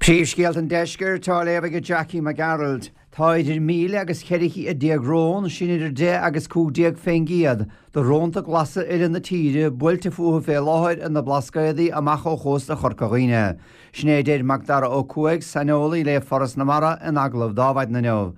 Príomhscéalta an Deiscirt á léamh ag Jackie Mac Gearailt. Tá idir 1,000 agus 1400 rón, sin idir 10 agus 15 fén gcéad, de rónta glasa uile na tíre buailte fúthu fé láthair ar na Blascaodaí amach ó chósta Chorca Dhuibhne. Sin é a deir Macdara Ó Cuaig, saineolaí le Foras na Mara, in agallamh d'Adhmhaidin inniu.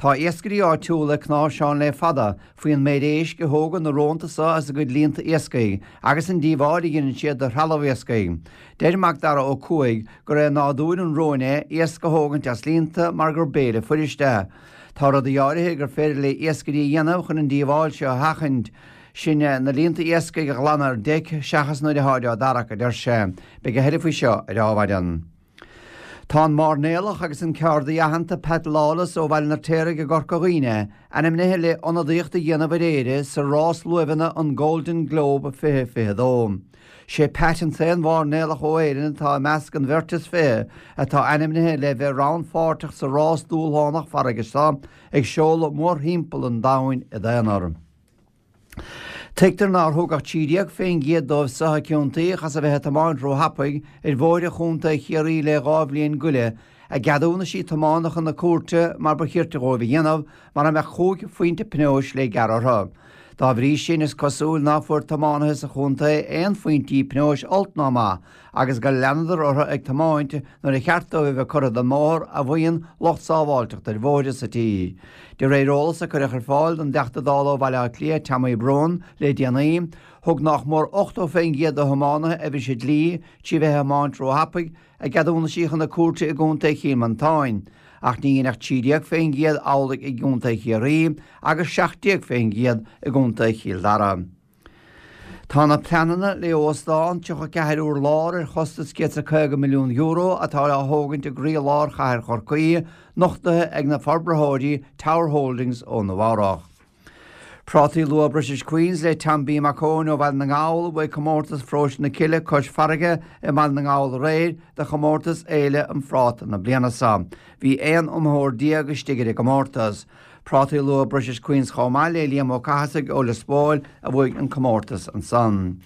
Tá iascairí áitiúla ag cnáimhseán le fada faoin méid éisc a thógann na rónta so as a gcuid líonta iascaigh agus an díobháil a dheineann siad do threalamh iascaigh. Deir Macdara Ó Cuaig gur é nádúr an róin é iasc a thógaint as líonta mar gur béile fuirist é. Tá rudaí áirithe gur féidir le iascairí a dhéanamh chun an díobháil seo a sheachaint, sin na líonta iascaigh a ghlanadh ar deic seachas nuair atáid á dtarrac, a deir sé. Beidh a thuilleadh faoi seo ar Adhmhaidin. Tá an mairnéalach agus an ceardaí aitheanta Pat Lawless ó Bhaile an Fheirtéaraigh i gCorca Dhuibhne ainmnithe le ionadaíocht a dhéanamh ar Éire sa rás luaimheanna an Golden Globe 2022. Sé Pat an t-aon mhairnéalach ó Éirinn atá i measc an bheirt is 20 atá ainmnithe le bheith rannpháirteach sa rás dúshlánach farraige seo ag seoladh mórthimpeall an domhain i d'aonar. Tuigtear nár thug ach 13% dóibh so a ciontaíodh as a bheith ag tiomáint róthapaidh ar bhóithre chontae Chiarraí le 2 bhliain go leith a gceadúnaisí tiomána chun na cúirte mar ba chirte dhóibh a dhéanamh mara mbeadh chúig phointe pionóis le gearradh orthu. Dá bhrí sin is cosúil ná fuair tiománaithe sa chontae aon phointí pionóis olc ná maith agus gur leanadar orthu ag tiomáint nuair a cheart dóibh a bheith curtha den mbóthar a mhaíonn lucht sábháilteachta ar bhóithre sa tír. De réir eolas a cuireadh ar fáil don dTeachta Dála ó Bhaile Átha Cliath, Tommy Brown, le déanaí, thug nách mór 80% de thiománaithe a bhris an dlí trí bheith ag tiomáint róthapaidh a gceadúnaisí chun na cúirte i gContae Chill Mhantáin, ach ní dhein ach 13% amhlaidh i gContae Chiarraí agus 17% i gContae Chill Dara. Tá na pleananna le óstán 34 urlár ar chostas €150 milliún atá á thógaint i gcroí-lár chathair Chorcaí nochtaithe ag na forbraitheoirí Tower Holdings ó Nua Eabhrach. Prátaí Luath British Queens le Tom B Mac Eoin ó Bhaile na nGall a bhuaigh comórtas Pharóiste na Cille cois farraige i mBaile na nGall aréir do chomórtas Fhéile an Phráta na bliana seo. Bhí 11 iomaitheoir istigh ar an gcomórtas. Prátaí Luath British Queens chomh maith le Liam Ó Cathasaigh ó Lios Póil a bhuaigh an comórtas ansan.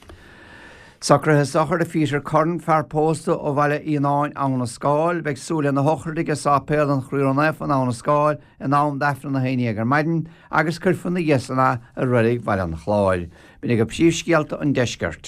Socruithe sochraide Pheter Curran, fear pósta ó Bhaile Fhíonáin, Abha na Scáil. Beidh súil lena shochraid aige i Sáipéal an Chroí Ró-Naofa in Abha na Scáil in am d'Aifreann 11 ar maidin agus cuirfear ina dhiaidh san é i Reilig Bhaile an Chláir. B'in agaibh príomhscéalta an deiscirt.